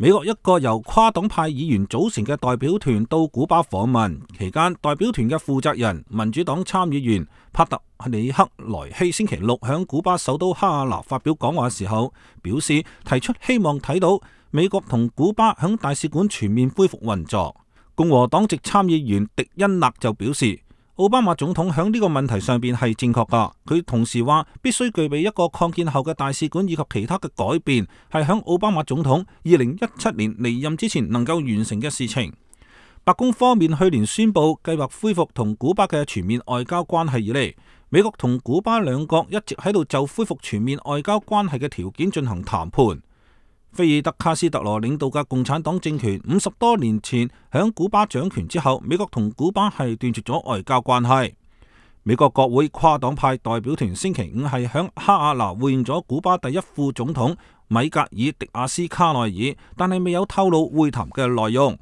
美國一個由跨黨派議員組成嘅代表團到古巴訪問期間，代表團嘅負責人民主黨參議員帕特里克萊希星期六響古巴首都哈瓦那發表講話嘅時候，表示提出希望睇到美國同古巴響大使館全面恢復運作。共和黨籍參議員迪恩納就表示，奧巴馬總統響呢個問題上邊係正確噶。佢同時話，必須具備一個擴建後嘅大使館以及其他嘅改變，係響奧巴馬總統2017年離任之前能夠完成嘅事情。白宮方面去年宣布計劃恢復同古巴嘅全面外交關係以嚟，美國同古巴兩國一直喺度就恢復全面外交關係嘅條件進行談判。菲爾德卡斯特羅領導嘅共產黨政權50多年前響古巴掌權之後，美國同古巴係斷絕咗外交關係。美國國會跨黨派代表團星期五係響哈瓦那會見咗古巴第一副總統米格爾迪亞斯卡內爾，但係未有透露會談嘅內容。